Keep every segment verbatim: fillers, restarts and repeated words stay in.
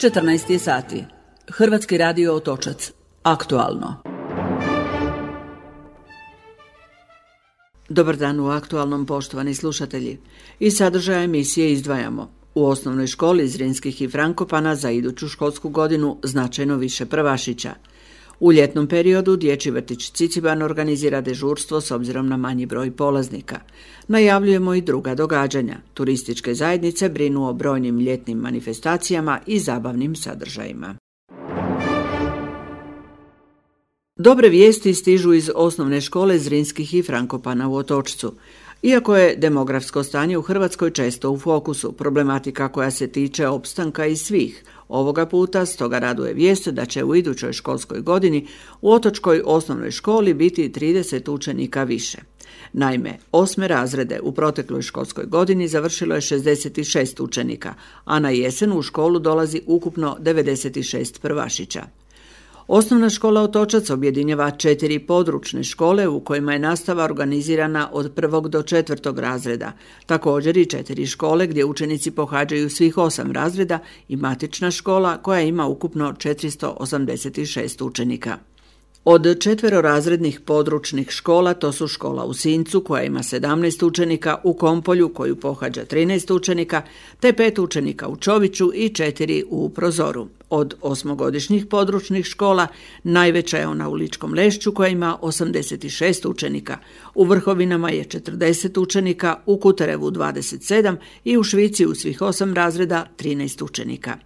četrnaest je sati. Hrvatski radio Otočac. Aktualno. Dobar dan u aktualnom, poštovani slušatelji. Iz sadržaja emisije izdvajamo: u osnovnoj školi Zrinskih i Frankopana za iduću školsku godinu značajno više prvašića. U ljetnom periodu dječji vrtić Ciciban organizira dežurstvo s obzirom na manji broj polaznika. Najavljujemo i druga događanja. Turističke zajednice brinu o brojnim ljetnim manifestacijama i zabavnim sadržajima. Dobre vijesti stižu iz osnovne škole Zrinskih i Frankopana u Otočcu. Iako je demografsko stanje u Hrvatskoj često u fokusu, problematika koja se tiče opstanka i svih, ovoga puta stoga raduje vijest da će u idućoj školskoj godini u otočkoj osnovnoj školi biti trideset učenika više. Naime, osme razrede u protekloj školskoj godini završilo je šezdeset šest učenika, a na jesen u školu dolazi ukupno devedeset šest prvašića. Osnovna škola Otočac objedinjava četiri područne škole u kojima je nastava organizirana od prvog do četvrtog razreda, također i četiri škole gdje učenici pohađaju svih osam razreda i matična škola koja ima ukupno četiristo osamdeset šest učenika. Od četverorazrednih područnih škola to su škola u Sincu koja ima sedamnaest učenika, u Kompolju koju pohađa trinaest učenika, te pet učenika u Čoviću i četiri u Prozoru. Od osmogodišnjih područnih škola najveća je ona u Ličkom Lešću koja ima osamdeset šest učenika, u Vrhovinama je četrdeset učenika, u Kuterevu dvadeset sedam i u Švici u svih osam razreda trinaest učenika.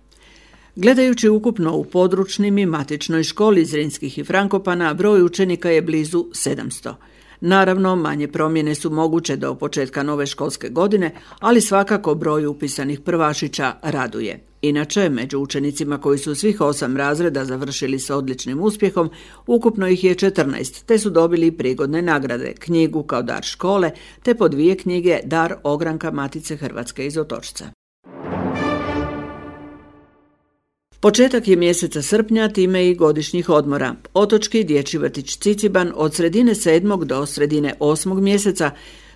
Gledajući ukupno u područnim i matičnoj školi Zrinskih i Frankopana, broj učenika je blizu sedamsto. Naravno, manje promjene su moguće do početka nove školske godine, ali svakako broj upisanih prvašića raduje. Inače, među učenicima koji su svih osam razreda završili s odličnim uspjehom, ukupno ih je četrnaest, te su dobili prigodne nagrade, knjigu kao dar škole, te po dvije knjige dar ogranka Matice Hrvatske iz Otočca. Početak je mjeseca srpnja, time i godišnjih odmora. Otočki dječji vrtić Ciciban od sredine sedmog do sredine osmog mjeseca,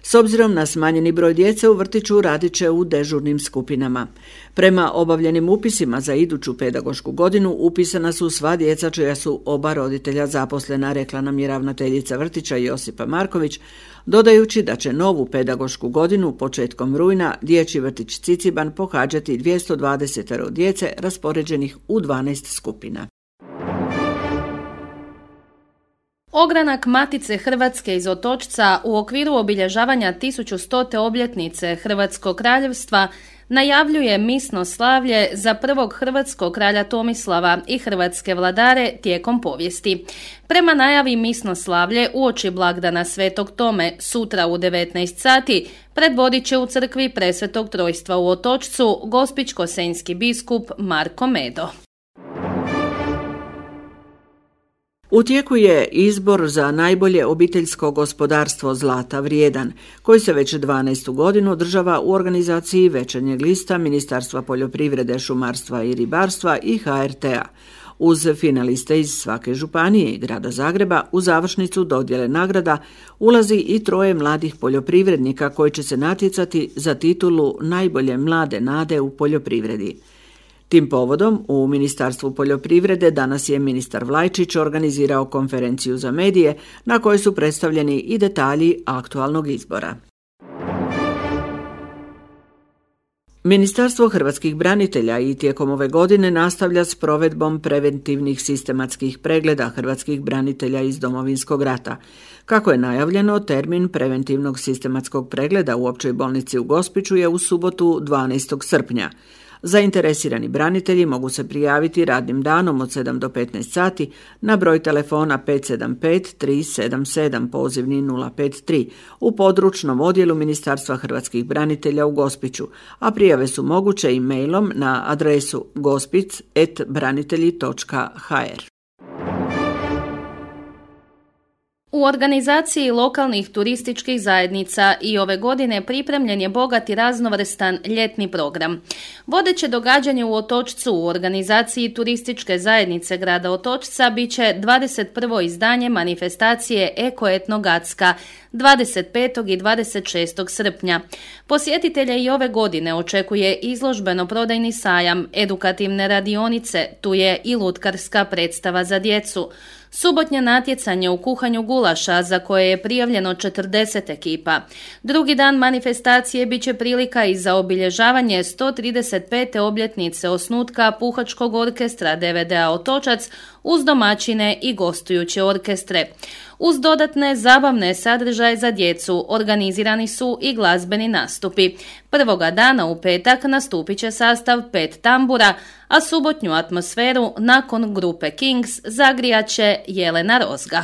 s obzirom na smanjeni broj djece u vrtiću, radit će u dežurnim skupinama. Prema obavljenim upisima za iduću pedagošku godinu upisana su sva djeca čija su oba roditelja zaposlena, rekla nam je ravnateljica vrtića Josipa Marković, dodajući da će novu pedagošku godinu početkom rujna dječji vrtić Ciciban pohađati dvjesto dvadeset djece raspoređenih u dvanaest skupina. Ogranak Matice Hrvatske iz Otočca u okviru obilježavanja tisuću stote obljetnice Hrvatskog kraljevstva najavljuje misno slavlje za prvog hrvatskog kralja Tomislava i hrvatske vladare tijekom povijesti. Prema najavi misno slavlje uoči blagdana Svetog Tome sutra u devetnaest sati predvodit će u crkvi Presvetog Trojstva u Otočcu gospićko-senjski biskup Marko Medo. U tijeku je izbor za najbolje obiteljsko gospodarstvo Zlata vrijedan, koji se već dvanaestu godinu održava u organizaciji Večernjeg lista Ministarstva poljoprivrede, šumarstva i ribarstva i ha er te a. Uz finaliste iz svake županije i grada Zagreba u završnicu dodjele nagrada ulazi i troje mladih poljoprivrednika koji će se natjecati za titulu najbolje mlade nade u poljoprivredi. Tim povodom u Ministarstvu poljoprivrede danas je ministar Vlajčić organizirao konferenciju za medije na kojoj su predstavljeni i detalji aktualnog izbora. Ministarstvo hrvatskih branitelja i tijekom ove godine nastavlja s provedbom preventivnih sistematskih pregleda hrvatskih branitelja iz Domovinskog rata. Kako je najavljeno, termin preventivnog sistematskog pregleda u Općoj bolnici u Gospiću je u subotu dvanaestog srpnja. Zainteresirani branitelji mogu se prijaviti radnim danom od sedam do petnaest sati na broj telefona pet sedam pet tri sedam sedam pozivni nula pet tri u područnom odjelu Ministarstva hrvatskih branitelja u Gospiću, a prijave su moguće i mailom na adresu gospic et branitelji točka ha er. U organizaciji lokalnih turističkih zajednica i ove godine pripremljen je bogat i raznovrstan ljetni program. Vodeće događanje u Otočcu u organizaciji turističke zajednice grada Otočca bit će dvadeset prvo izdanje manifestacije Eko Etno Gacka, dvadeset petog i dvadeset šestog srpnja. Posjetitelje i ove godine očekuje izložbeno-prodajni sajam, edukativne radionice, tu je i lutkarska predstava za djecu. Subotnje natjecanje u kuhanju gulaša za koje je prijavljeno četrdeset ekipa. Drugi dan manifestacije bit će prilika i za obilježavanje sto trideset pete obljetnice osnutka Puhačkog orkestra D V D-a Otočac uz domaćine i gostujuće orkestre. Uz dodatne zabavne sadržaje za djecu organizirani su i glazbeni nastupi. Prvoga dana u petak nastupit će sastav pet tambura, a subotnju atmosferu nakon grupe Kings zagrijat će Jelena Rozga.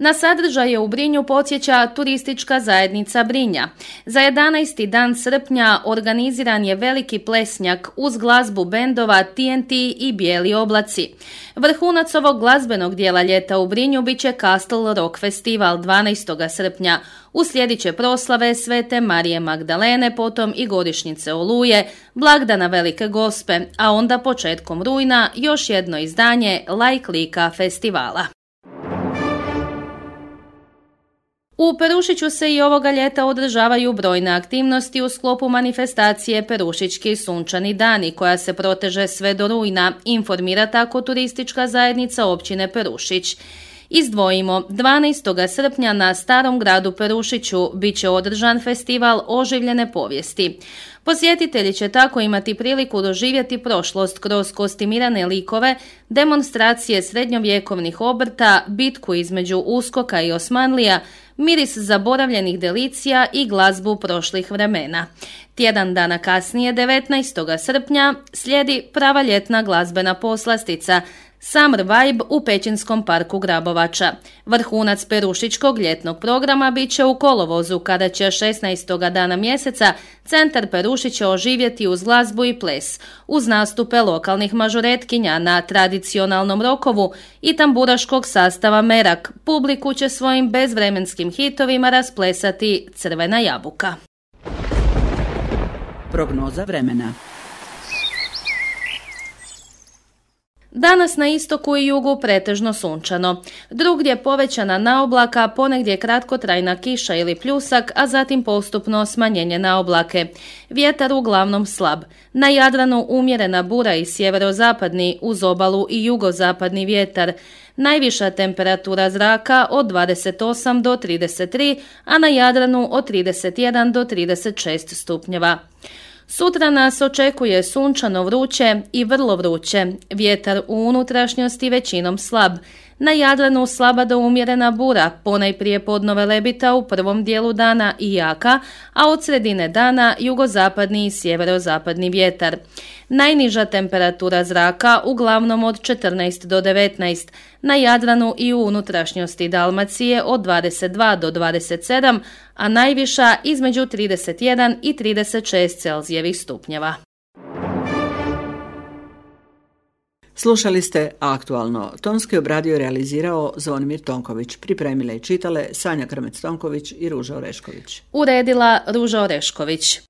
Na sadržaje u Brinju podsjeća turistička zajednica Brinja. Za jedanaesti dan srpnja organiziran je veliki plesnjak uz glazbu bendova T N T i Bijeli oblaci. Vrhunac ovog glazbenog dijela ljeta u Brinju bit će Castle Rock Festival dvanaestog srpnja. Uslijedit će proslave Svete Marije Magdalene, potom i godišnjice Oluje, blagdana Velike Gospe, a onda početkom rujna još jedno izdanje Lajk lika festivala. U Perušiću se i ovoga ljeta održavaju brojne aktivnosti u sklopu manifestacije Perušićki sunčani dani, koja se proteže sve do rujna, informira tako turistička zajednica općine Perušić. Izdvojimo, dvanaestog srpnja na Starom gradu Perušiću bit će održan festival oživljene povijesti. Posjetitelji će tako imati priliku doživjeti prošlost kroz kostimirane likove, demonstracije srednjovjekovnih obrta, bitku između Uskoka i Osmanlija, miris zaboravljenih delicija i glazbu prošlih vremena. Tjedan dana kasnije, devetnaestog srpnja, slijedi prava ljetna glazbena poslastica Summer Vibe u Pećinskom parku Grabovača. Vrhunac perušičkog ljetnog programa bit će u kolovozu, kada će šesnaestog dana mjeseca centar Perušića oživjeti uz glazbu i ples, uz nastupe lokalnih mažuretkinja na tradicionalnom rokovu i tamburaškog sastava Merak. Publiku će svojim bezvremenskim hitovima rasplesati Crvena jabuka. Prognoza vremena. Danas na istoku i jugu pretežno sunčano. Drugdje povećana naoblaka, ponegdje kratkotrajna kiša ili pljusak, a zatim postupno smanjenje naoblake. Vjetar uglavnom slab. Na Jadranu umjerena bura i sjeverozapadni, uz obalu i jugozapadni vjetar. Najviša temperatura zraka od dvadeset osam do trideset tri, a na Jadranu od trideset jedan do trideset šest stupnjeva. Sutra nas očekuje sunčano vruće i vrlo vruće, vjetar u unutrašnjosti većinom slab. Na Jadranu slaba do umjerena bura, ponajprije podnove lebita u prvom dijelu dana i jaka, a od sredine dana jugozapadni i sjeverozapadni vjetar. Najniža temperatura zraka uglavnom od četrnaest do devetnaest, na Jadranu i u unutrašnjosti Dalmacije od dvadeset dva do dvadeset sedam, a najviša između trideset jedan i trideset šest Celzijevih stupnjeva. Slušali ste Aktualno. Tonski obradio i realizirao Zvonimir Tonković. Pripremile i čitale Sanja Krmec-Tonković i Ruža Orešković. Uredila Ruža Orešković.